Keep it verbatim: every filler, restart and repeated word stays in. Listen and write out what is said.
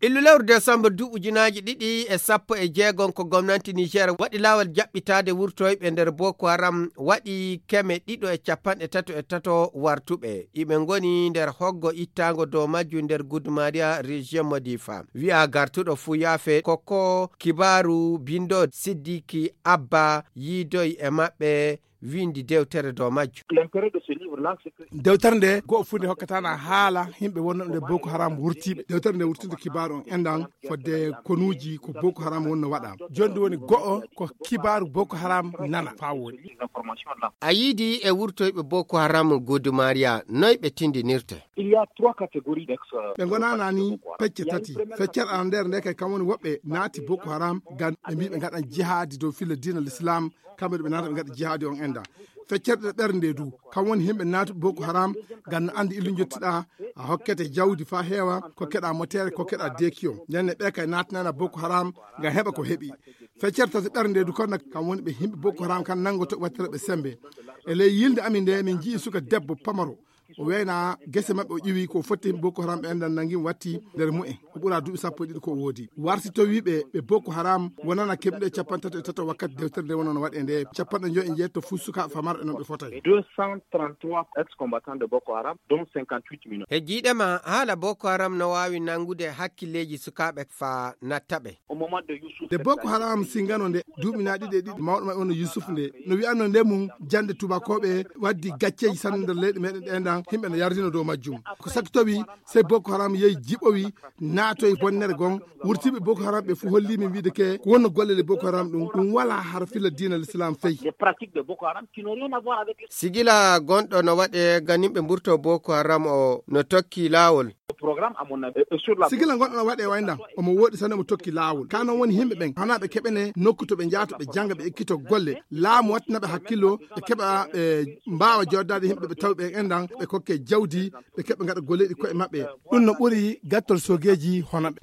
Illu lewru desambar duuɓi ujunaaji ɗiɗi e sappo e jeegom ko gomnanti Niger waɗi laawol jaɓɓitaade wurtoyɓe nder Boko Haram waɗi keme ɗiɗo e capanɗe tato e tato wartuɓe. Iɓe ngoni nder hoggo ittaango dow majju nder Gudumariya, région Modifa. Wi'a gartuɗo fuu yaafe. Koko kibaaru bindo Siddiki Abba yiidoy e maɓɓe windi dewtere dow majju. Dewtere nde go'o fuu nde hokkataana haala yimɓe wonnooɓe nde Boko Haram wurtiiɓe. Dewtere nde wurtinde kibaaru on enɗan fodde konuuji ko Boko Haram wonno waɗa. Jooni ndu woni go'o ko kibaaru Boko Haram nana faa woni. A yiidi e wurtoyɓe Boko Haram Gudumariya, noy ɓe tindinirte? Ɓe ngonaana ni pecce tati. Feccere arandeere nde kay kam woni woɓɓe naati Boko Haram ngam ɓe mbii ɓe ngaɗan jihaadi dow filla diina l'islam, kamɓe ɓe naata ɓe ngaɗa jihaadi on enɗan. Feccere ɗiɗaɓere nde du kam woni yimɓe naatuɓe Boko Haram ngam no anndi illu njottiɗaa, a hokkete jawdi faa heewa, kokkeɗaa motere, kokkeɗaa dekiyo. Ndenne ɓe kay naatanaana Boko Haram ngam heɓa ko heɓi. Feccere tataɓere nde du kon kam woni ɓe yimɓe Boko Haram kan nanngoto wattere ɓe semmbe. E ley yilnde amin nde min njii suka debbo pamaro. O weyna gese maɓɓe o ƴiwi ko fotti Boko Haram ɓe enɗan nangi watti nder mu'en. O ɓura duuɓi sappo e ɗiɗi ko o woodi. Warti towiiɓe ɓe Boko Haram wonana keɓnuɗe capanɗe tato e tato wakkati dewtere nde wonano waɗe nde capanɗe njoyo e njeetto fuu sukaaɓe famarɓe non ɓe fotay. Deux cent trente-trois ex-combattants de Boko Haram, dont cinquante-huit mineurs. E jiiɗe ma haala Boko Haram no waawi nanngude hakkilleeji sukaaɓe faa natta ɓe. Nde Boko Haram singano nde duuɓi na ɗiɗi e ɗiɗi mawɗo maɓɓe wonno Yusuf nde no wi'anno nde mum jannde tubakooɓe waddi gacceeji sanne nder leyɗe meɗen ɗe enɗan yimɓe no yardino dow majjum. Ko sakki towi sey Boko Haram yehi jiɓowi naatoy bonnere gon wurtiiɓe Boko Haram ɓe fuu holli min wiide ke ko wonno golle le Boko Haram ɗum ɗum wala har filla diina l'islam fey. Sigila gonɗo no waɗe ganimɓe mburto Boko Haram o no tokki laawol. Sigila gonɗo no waɗe waydan omo woɗi sanne omo tokki laawol ka non woni yimɓe ɓen hana ɓe keɓene nokku to ɓe njahata ɓe jannga ɓe ekkito golle laamu wattana ɓe hakkillo ɓe keɓa ɓe mbaawa joddaade yimɓe ɓe tawi ɓen enɗan ɓe kokke jawdi ɓe keɓa ngaɗa golleeji koye maɓɓe. Ɗum no ɓuri gattol sogeeji hono ɓe.